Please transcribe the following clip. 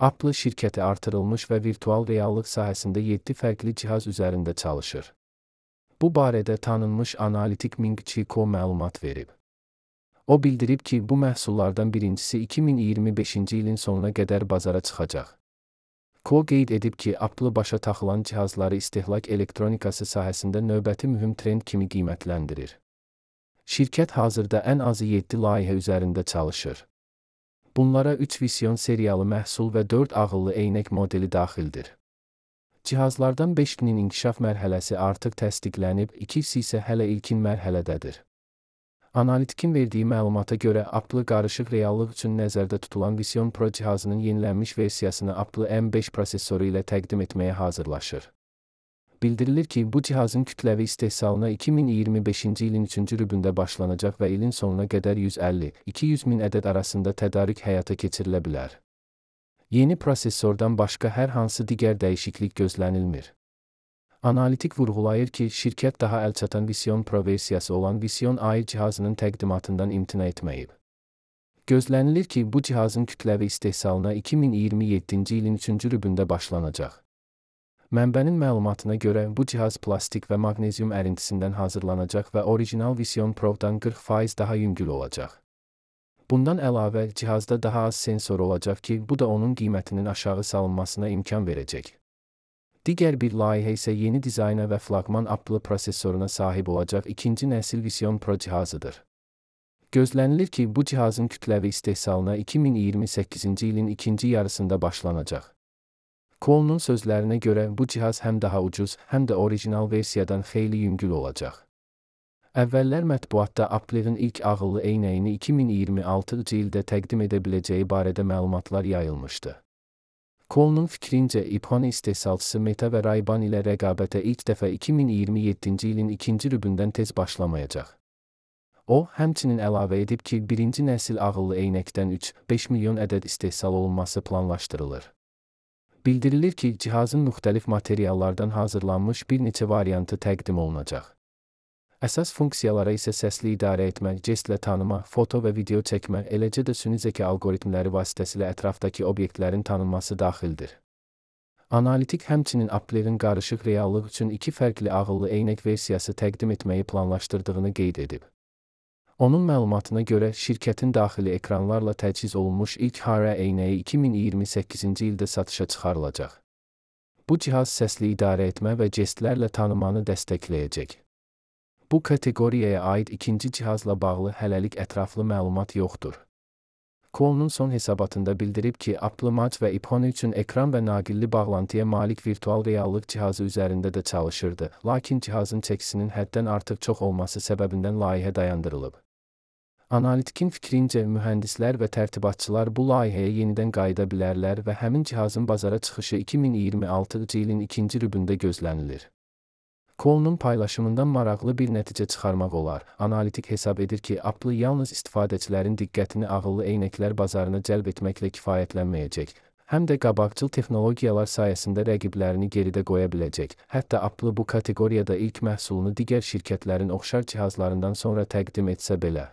Apple şirkəti artırılmış və virtual reallıq sahəsində 7 fərqli cihaz üzərində çalışır. Bu barədə tanınmış analitik Ming Chi Kuo məlumat verib. O bildirib ki, bu məhsullardan birincisi 2025-ci ilin sonuna qədər bazara çıxacaq. Kuo qeyd edib ki, Apple başa taxılan cihazları istehlak elektronikası sahəsində növbəti mühüm trend kimi qiymətləndirir. Şirkət hazırda ən azı 7 layihə üzərində çalışır. Bunlara 3 Vision seriyalı məhsul və 4 ağıllı eynək modeli daxildir. Cihazlardan 5-nin inkişaf mərhələsi artıq təsdiqlənib, 2-si isə hələ ilkin mərhələdədir. Analitikin verdiyi məlumata görə Apple qarışıq reallıq üçün nəzərdə tutulan Vision Pro cihazının yenilənmiş versiyasını Apple M5 prosesoru ilə təqdim etməyə hazırlaşır. Bildirilir ki, bu cihazın kütləvi istehsalına 2025-ci ilin 3-cü rübündə başlanacaq və ilin sonuna qədər 150-200 min ədəd arasında tədarük həyata keçirilə bilər. Yeni prosesordan başqa hər hansı digər dəyişiklik gözlənilmir. Analitik vurğulayır ki, şirkət daha əlçatan Vision Pro versiyası olan Vision AI cihazının təqdimatından imtina etməyib. Gözlənilir ki, bu cihazın kütləvi istehsalına 2027-ci ilin 3-cü rübündə başlanacaq. Mənbənin məlumatına görə bu cihaz plastik və maqnezium ərintisindən hazırlanacaq və orijinal Vision Pro-dan 40% daha yüngül olacaq. Bundan əlavə, cihazda daha az sensor olacaq ki, bu da onun qiymətinin aşağı salınmasına imkan verəcək. Digər bir layihə isə yeni dizayna və flaqman Apple prosesoruna sahib olacaq ikinci nəsil Vision Pro cihazıdır. Gözlənilir ki, bu cihazın kütləvi istehsalına 2028-ci ilin ikinci yarısında başlanacaq. Kuo'nun sözlərinə görə bu cihaz həm daha ucuz, həm də orijinal versiyadan xeyli yüngül olacaq. Əvvəllər mətbuatda Apple'ın ilk ağıllı eynəyini 2026-cı ildə təqdim edə biləcəyi barədə məlumatlar yayılmışdı. Kuo'nun fikrincə, iPhone istehsalçısı Meta və Ray-Ban ilə rəqabətə ilk dəfə 2027-ci ilin ikinci rübündən tez başlamayacaq. O, həmçinin əlavə edib ki, birinci nəsil ağıllı eynəkdən 3-5 milyon ədəd istehsal olunması planlaşdırılır. Bildirilir ki, cihazın müxtəlif materiallardan hazırlanmış bir neçə variantı təqdim olunacaq. Əsas funksiyalara isə səsli idarə etmə, jestlə tanıma, foto və video çəkmə, eləcə də süni zəka alqoritmləri vasitəsilə ətrafdakı obyektlərin tanınması daxildir. Analitik həmçinin Apple'ın qarışıq reallıq üçün 2 fərqli ağıllı eynək versiyası təqdim etməyi planlaşdırdığını qeyd edib. Onun məlumatına görə, şirkətin daxili ekranlarla təchiz olunmuş ilk HARA eynəyi 2028-ci ildə satışa çıxarılacaq. Bu cihaz səsli idarə etmə və jestlərlə tanımanı dəstəkləyəcək. Bu kateqoriyaya aid ikinci cihazla bağlı hələlik ətraflı məlumat yoxdur. Kuo'nun son hesabatında bildirib ki, Apple Watch və iPhone üçün ekran və naqilli bağlantıya malik virtual reallıq cihazı üzərində də çalışırdı, lakin cihazın çəkisinin həddən artıq çox olması səbəbindən layihə dayandırılıb. Analitikin fikrincə, mühəndislər və tərtibatçılar bu layihəyə yenidən qayıda bilərlər və həmin cihazın bazara çıxışı 2026-cı ilin ikinci rübündə gözlənilir. Kuo'nun paylaşımından maraqlı bir nəticə çıxarmaq olar. Analitik hesab edir ki, Apple yalnız istifadəçilərin diqqətini ağıllı eynəklər bazarına cəlb etməklə kifayətlənməyəcək, həm də qabaqcıl texnologiyalar sayəsində rəqiblərini geridə qoya biləcək. Hətta Apple bu kateqoriyada ilk məhsulunu digər şirkətlərin oxşar cihazlarından sonra təqdim etsə belə.